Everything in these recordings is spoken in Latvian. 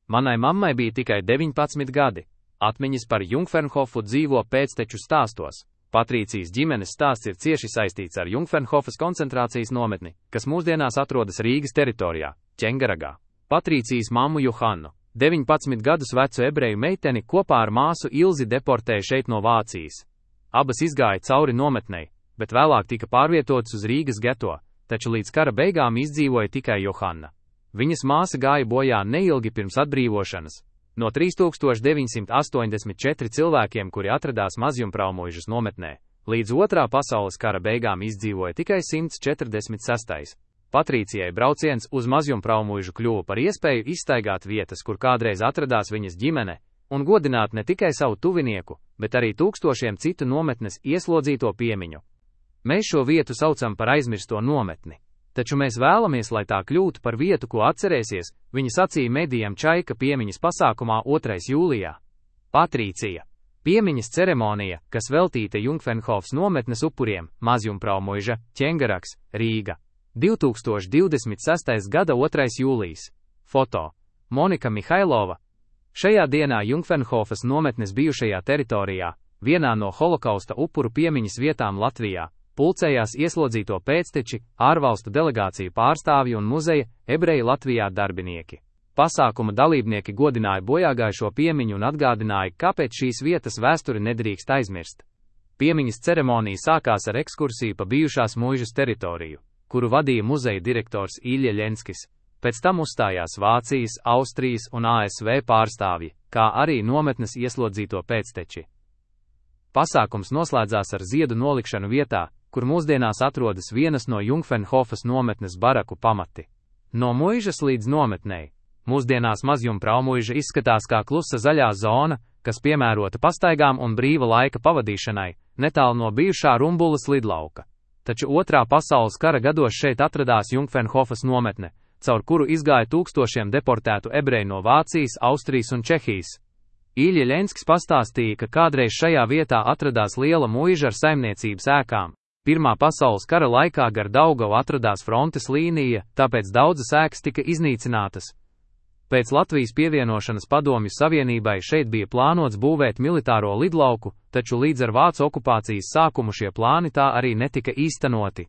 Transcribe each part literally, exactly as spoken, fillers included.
Manai mammai bija tikai deviņpadsmit gadi. Atmiņas par Jungfernhofu dzīvo pēcteču stāstos. Patrīcijas ģimenes stāsts ir cieši saistīts ar Jungfernhofas koncentrācijas nometni, kas mūsdienās atrodas Rīgas teritorijā, Ķengaragā. Patrīcijas mammu Johannu, deviņpadsmit gadus vecu ebreju meiteni, kopā ar māsu Ilzi deportēja šeit no Vācijas. Abas izgāja cauri nometnei, bet vēlāk tika pārvietotas uz Rīgas geto, taču līdz kara beigām izdzīvoja tikai Johanna. Viņas māsa gāja bojā neilgi pirms atbrīvošanas. No trīs tūkstoši deviņsimt astoņdesmit četri cilvēkiem, kuri atradās Mazjumpraumoižas nometnē, līdz otrā pasaules kara beigām izdzīvoja tikai simts četrdesmit seši. Patrīcijai brauciens uz Mazjumpraumoižu kļuva par iespēju izstaigāt vietas, kur kādreiz atradās viņas ģimene, un godināt ne tikai savu tuvinieku, bet arī tūkstošiem citu nometnes ieslodzīto piemiņu. Mēs šo vietu saucam par aizmirsto nometni. Taču mēs vēlamies, lai tā kļūtu par vietu, ko atcerēsies, viņa sacīja medijam Čaika piemiņas pasākumā otrais jūlijā. Patrīcija. Piemiņas ceremonija, kas veltīta Jungfernhofas nometnes upuriem, Mazjumpraumoiža, Ķengaraks, Rīga. divi tūkstoši divdesmit sestais gada otrais jūlijs. Foto. Monika Mihailova. Šajā dienā Jungfernhofas nometnes bijušajā teritorijā, vienā no holokausta upuru piemiņas vietām Latvijā, pulcējās ieslodzīto pēcteči, ārvalstu delegāciju pārstāvji un muzeja ebreji Latvijā darbinieki. Pasākuma dalībnieki godināja bojāgājušo piemiņu un atgādināja, kāpēc šīs vietas vēsturi nedrīkst aizmirst. Piemiņas ceremonija sākās ar ekskursiju pa bijušās muižas teritoriju, kuru vadīja muzeja direktors Ilja Ļenskis. Pēc tam uzstājās Vācijas, Austrijas un A S V pārstāvji, kā arī nometnes ieslodzīto pēcteči. Pasākums noslēdzās ar ziedu nolikšanu vietā, kur mūsdienās atrodas vienas no Jungfernhofas nometnes baraku pamati. No muižas līdz nometnei. Mūsdienās Mazjumpraumoiža izskatās kā klusa zaļā zona, kas piemērota pastaigām un brīva laika pavadīšanai, netālu no bijušā Rumbulas lidlauka. Taču otrā pasaules kara gados šeit atradās Jungfernhofas nometne, caur kuru izgāja tūkstošiem deportētu ebreju no Vācijas, Austrijas un Čehijas. Ilja Ļenskis pastāstīja, ka kādreiz šajā vietā atradās liela muiža ar saimniecības ēkām. Pirmā pasaules kara laikā gar Daugavu atradās frontes līnija, tāpēc daudzas ēkas tika iznīcinātas. Pēc Latvijas pievienošanas Padomju Savienībai šeit bija plānots būvēt militāro lidlauku, taču līdz ar vācu okupācijas sākumu šie plāni tā arī netika īstenoti.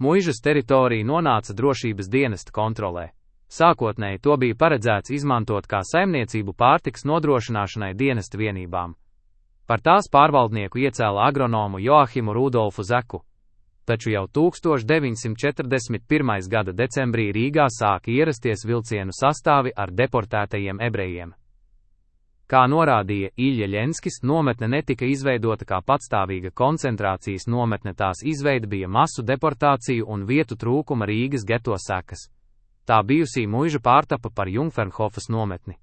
Muižas teritorija nonāca drošības dienesta kontrolē. Sākotnēji to bija paredzēts izmantot kā saimniecību pārtikas nodrošināšanai dienesta vienībām. Par tās pārvaldnieku iecēla agronomu Joahimu Rudolfu Zeku. Taču jau tūkstoš deviņsimt četrdesmit pirmā gada decembrī Rīgā sāka ierasties vilcienu sastāvi ar deportētajiem ebrejiem. Kā norādīja Ilja Ļenskis, nometne netika izveidota kā patstāvīga koncentrācijas nometne, tās izveide bija masu deportāciju un vietu trūkuma Rīgas geto sekas. Tā bijusī muiža pārtapa par Jungfernhofas nometni.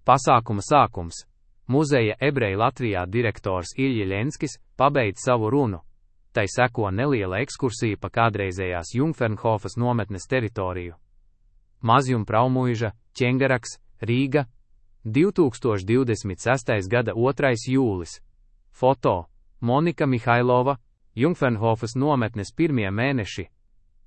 Pasākuma sākums. Muzeja ebreji Latvijā direktors Ilja Ļenskis pabeidz savu runu. Tai seko neliela ekskursija pa kādreizējās Jungfernhofas nometnes teritoriju. Mazjumpraumoiža, Ķengaraks, Rīga. divi tūkstoši divdesmit sestais gada otrais jūlis. Foto. Monika Mihailova. Jungfernhofas nometnes pirmie mēneši.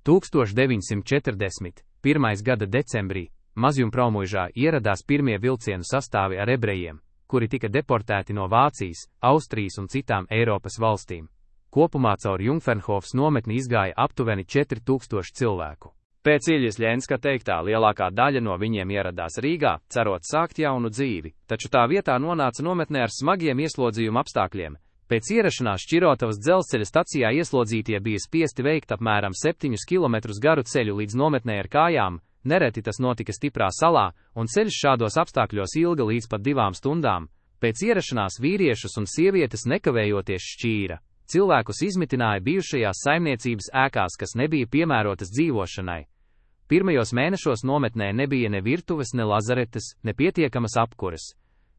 tūkstoš deviņsimt četrdesmit pirmā gada decembrī Mazjumpraumoižā ieradās pirmie vilcienu sastāvi ar ebrejiem, kuri tika deportēti no Vācijas, Austrijas un citām Eiropas valstīm. Kopumā caur Jungfernhofas nometni izgāja aptuveni četri tūkstoši cilvēku. Pēc Iljas Ļenska teiktā lielākā daļa no viņiem ieradās Rīgā, cerot sākt jaunu dzīvi, taču tā vietā nonāca nometnē ar smagiem ieslodzījuma apstākļiem. Pēc ierašanās Šķirotavas dzelzceļa stacijā ieslodzītie bija spiesti veikt apmēram septiņus kilometrus garu ceļu līdz nometnē ar kājām, nereti tas notika stiprā salā, un ceļš šādos apstākļos ilga līdz pat divām stundām. Pēc ierašanās vīriešus un sievietes nekavējoties šķīra. Cilvēkus izmitināja bijušajās saimniecības ēkās, kas nebija piemērotas dzīvošanai. Pirmajos mēnešos nometnē nebija ne virtuves, ne lazaretes, ne pietiekamas apkuras.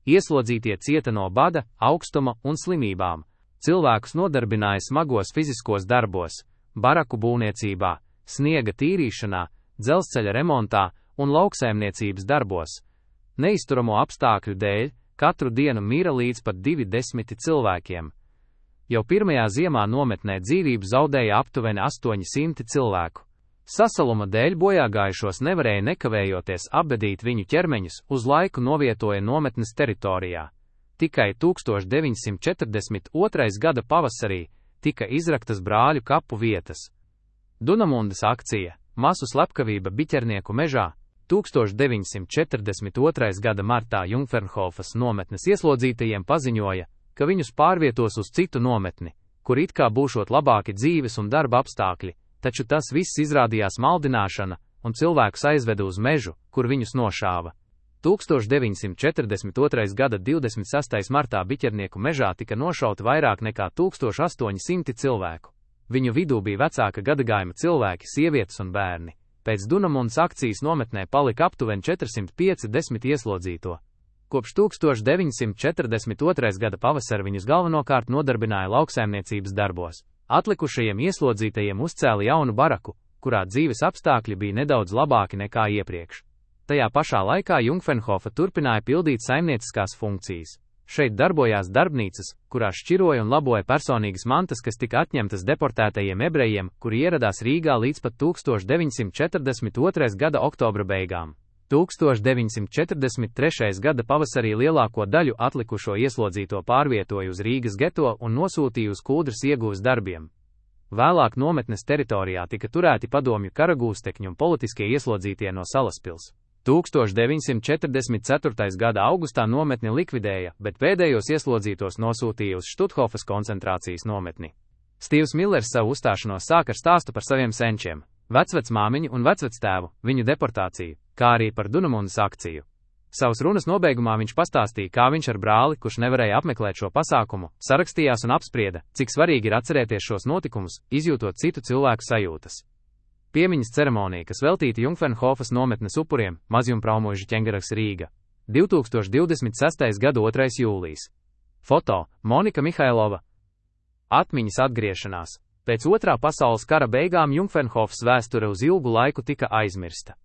Ieslodzītie cieta no bada, augstuma un slimībām. Cilvēkus nodarbināja smagos fiziskos darbos, baraku būvniecībā, sniega tīrīšanā, dzelzceļa remontā un lauksaimniecības darbos. Neizturamo apstākļu dēļ katru dienu mira līdz pat divi desmiti cilvēkiem. Jau pirmajā ziemā nometnē dzīvību zaudēja aptuveni astoņi simti cilvēku. Sasaluma dēļ bojāgājušos nevarēja nekavējoties apbedīt viņu ķermeņus, uz laiku novietoja nometnes teritorijā. Tikai tūkstoš deviņsimt četrdesmit otrais gada pavasarī tika izraktas brāļu kapu vietas. Dunamundas akcija, masu slepkavība Biķernieku mežā, tūkstoš deviņsimt četrdesmit otrais gada martā Jungfernhofas nometnes ieslodzītajiem paziņoja, ka viņus pārvietos uz citu nometni, kur it kā būšot labāki dzīves un darba apstākļi, taču tas viss izrādījās maldināšana, un cilvēkus aizveda uz mežu, kur viņus nošāva. tūkstoš deviņsimt četrdesmit otrais gada divdesmit sestajā martā Biķernieku mežā tika nošauti vairāk nekā tūkstoš astoņi simti cilvēku. Viņu vidū bija vecāka gadagājuma cilvēki, sievietes un bērni. Pēc Dunamundas akcijas nometnē palika aptuveni četrsimt piecdesmit ieslodzīto. Kopš tūkstoš deviņsimt četrdesmit otrais gada pavasara viņus galvenokārt nodarbināja lauksaimniecības darbos. Atlikušajiem ieslodzītajiem uzcēla jaunu baraku, kurā dzīves apstākļi bija nedaudz labāki nekā iepriekš. Tajā pašā laikā Jungfernhofa turpināja pildīt saimnieciskās funkcijas. Šeit darbojās darbnīcas, kurās šķiroja un laboja personīgas mantas, kas tika atņemtas deportētajiem ebrejiem, kuri ieradās Rīgā līdz pat tūkstoš deviņsimt četrdesmit otrais gada oktobra beigām. tūkstoš deviņsimt četrdesmit trešais gada pavasarī lielāko daļu atlikušo ieslodzīto pārvietoja uz Rīgas geto un nosūtīja uz Kuldras iegūves darbiem. Vēlāk nometnes teritorijā tika turēti padomju karagūstekņi un politiskie ieslodzītie no Salaspils. tūkstoš deviņsimt četrdesmit ceturtais gada augustā nometni likvidēja, bet pēdējos ieslodzītos nosūtīja uz Štuthofas koncentrācijas nometni. Stīvs Millers savu uzstāšanos sāka ar stāstu par saviem senčiem, vecvecmāmiņu un vecvectēvu, viņu deportāciju, kā arī par Dunamundas akciju. Savas runas nobeigumā viņš pastāstīja, kā viņš ar brāli, kurš nevarēja apmeklēt šo pasākumu, sarakstījās un apsprieda, cik svarīgi ir atcerēties šos notikumus, izjūtot citu cilvēku sajūtas. Piemiņas ceremonija, kas veltīta Jungfernhofas nometnes upuriem, Mazjumpraumoža ķengaraks Rīga. divtūkstoš divdesmit sestais gada otrais jūlijas. Foto – Monika Mihailova. Atmiņas atgriešanās. Pēc otrā pasaules kara beigām Jungfernhofas vēsture uz ilgu laiku tika aizmirsta.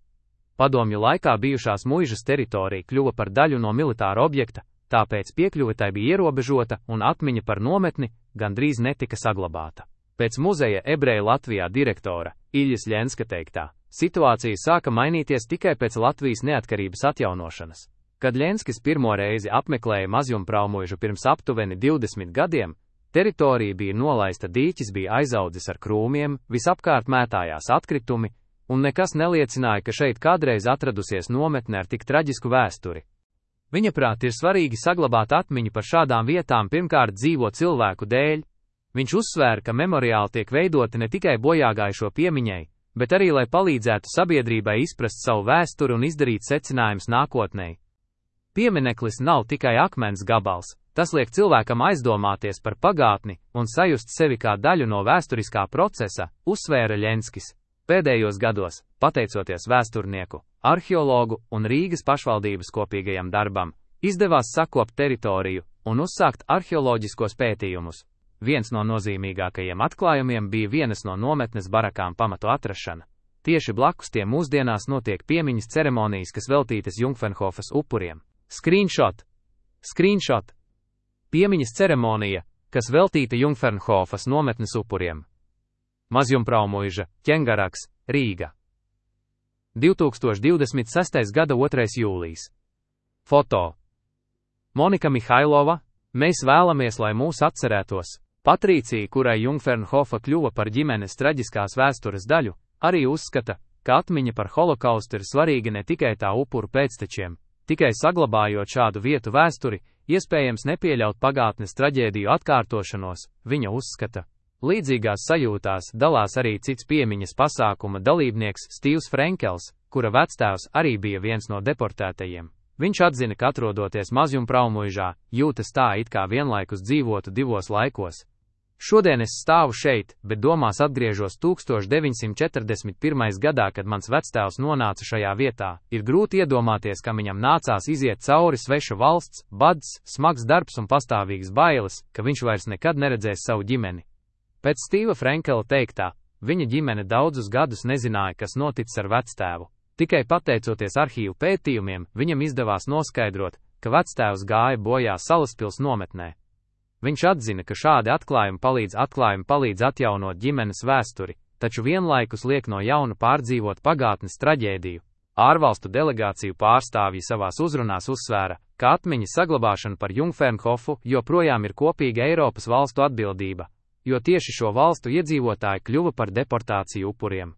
Padomju laikā bijušās muižas teritorija kļuva par daļu no militāra objekta, tāpēc piekļuve tai bija ierobežota un atmiņa par nometni gandrīz netika saglabāta. Pēc muzeja ebreju Latvijā direktora Iļas Ļenska teiktā, situācija sāka mainīties tikai pēc Latvijas neatkarības atjaunošanas. Kad Ļenskis pirmo reizi apmeklēja Mazjumpraumožu pirms aptuveni divdesmit gadiem, teritorija bija nolaista, dīķis bija aizaudzis ar krūmiem, visapkārt mētājās atkritumi, un nekas neliecināja, ka šeit kādreiz atradusies nometne ar tik traģisku vēsturi. Viņa prāt ir svarīgi saglabāt atmiņu par šādām vietām pirmkārt dzīvo cilvēku dēļ. Viņš uzsvēra, ka memoriāli tiek veidoti ne tikai bojāgājušo piemiņai, bet arī, lai palīdzētu sabiedrībai izprast savu vēsturi un izdarīt secinājumus nākotnē. Piemineklis nav tikai akmens gabals, tas liek cilvēkam aizdomāties par pagātni un sajust sevi kā daļu no vēsturiskā procesa, uzsvēra Ļenskis. Pēdējos gados, pateicoties vēsturnieku, arheologu un Rīgas pašvaldības kopīgajam darbam, izdevās sakopt teritoriju un uzsākt arheoloģiskos pētījumus. Viens no nozīmīgākajiem atklājumiem bija vienas no nometnes barakām pamatu atrašana. Tieši blakus tiem mūsdienās notiek piemiņas ceremonijas, kas veltītas Jungfernhofas upuriem. Screenshot! Screenshot! Piemiņas ceremonija, kas veltīta Jungfernhofas nometnes upuriem. Mazjumpraumoža ķengaraks, Rīga. divtūkstoš divdesmit sestais gada otrais jūlijas. Foto. Monika Mihailova. Mēs vēlamies, lai mūs atcerētos. Patrīcija, kurai Jungfernhofa kļuva par ģimenes traģiskās vēstures daļu, arī uzskata, ka atmiņa par holokaustu ir svarīga ne tikai tā upuru pēctečiem, tikai saglabājot šādu vietu vēsturi, iespējams nepieļaut pagātnes traģēdiju atkārtošanos, viņa uzskata. Līdzīgās sajūtās dalās arī cits piemiņas pasākuma dalībnieks Stīvs Frenkels, kura vectēvs arī bija viens no deportētajiem. Viņš atzina, ka atrodoties Mazjumpraumožā, jūtas tā, it kā vienlaikus dzīvotu divos laikos. Šodien es stāvu šeit, bet domās atgriežos tūkstoš deviņsimt četrdesmit pirmajā gadā, kad mans vectēvs nonāca šajā vietā. Ir grūti iedomāties, ka viņam nācās iziet cauri sveša valsts, bads, smags darbs un pastāvīgas bailes, ka viņš vairs nekad neredzēs savu ģimeni. Pēc Stīva Frenkela teiktā, viņa ģimene daudzus gadus nezināja, kas noticis ar vectēvu. Tikai pateicoties arhīvu pētījumiem, viņam izdevās noskaidrot, ka vectēvs gāja bojā Salaspils nometnē. Viņš atzina, ka šādi atklājumi palīdz, atklājumi palīdz atjaunot ģimenes vēsturi, taču vienlaikus liek no jauna pārdzīvot pagātnes traģēdiju. Ārvalstu delegāciju pārstāvji savās uzrunās uzsvēra, ka atmiņas saglabāšana par Jungfernhofu joprojām ir kopīga Eiropas valstu atbildība, jo tieši šo valstu iedzīvotāji kļuva par deportāciju upuriem.